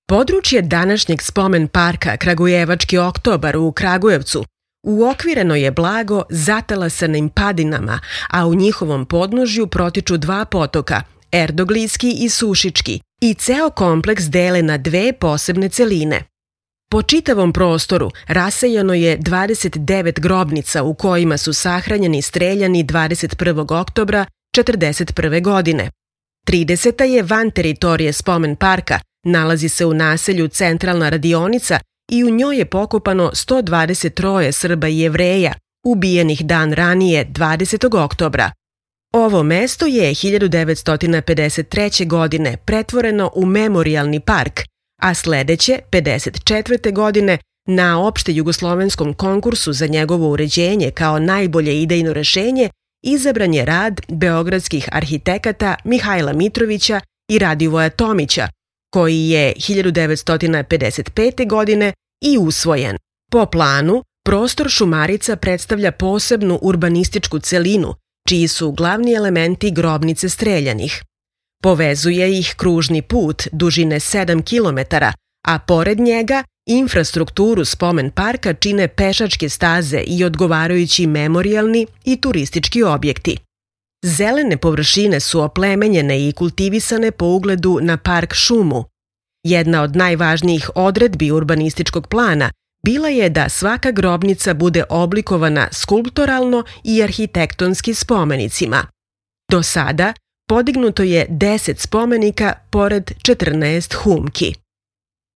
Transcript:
Područje današnjeg spomen parka Kragujevački oktobar u Kragujevcu uokvireno je blago zatalasanim padinama, a u njihovom podnožju protiču dva potoka, Erdoglijski i Sušički, i ceo kompleks dele na dve posebne celine. Po čitavom prostoru rasejano je 29 grobnica u kojima su sahranjeni streljani 21. oktobra 1941. godine. 30. je van teritorije spomen parka, nalazi se u naselju Centralna radionica i u njoj je pokopano 123 Srba i Jevreja, ubijenih dan ranije 20. oktobra. Ovo mesto je 1953. godine pretvoreno u memorijalni park, a sledeće, 54. godine, na opšte-jugoslovenskom konkursu za njegovo uređenje kao najbolje idejno rešenje izabran je rad beogradskih arhitekata Mihajla Mitrovića i Radivoja Tomića, koji je 1955. godine i usvojen. Po planu, prostor Šumarica predstavlja posebnu urbanističku celinu, čiji su glavni elementi grobnice streljanih. Povezuje ih kružni put dužine 7 km, a pored njega infrastrukturu spomen parka čine pešačke staze i odgovarajući memorijalni i turistički objekti. Zelene površine su oplemenjene i kultivisane po ugledu na park šumu. Jedna od najvažnijih odredbi urbanističkog plana bila je da svaka grobnica bude oblikovana skulptoralno i arhitektonski spomenicima. Do sada podignuto je 10 spomenika pored 14 humki.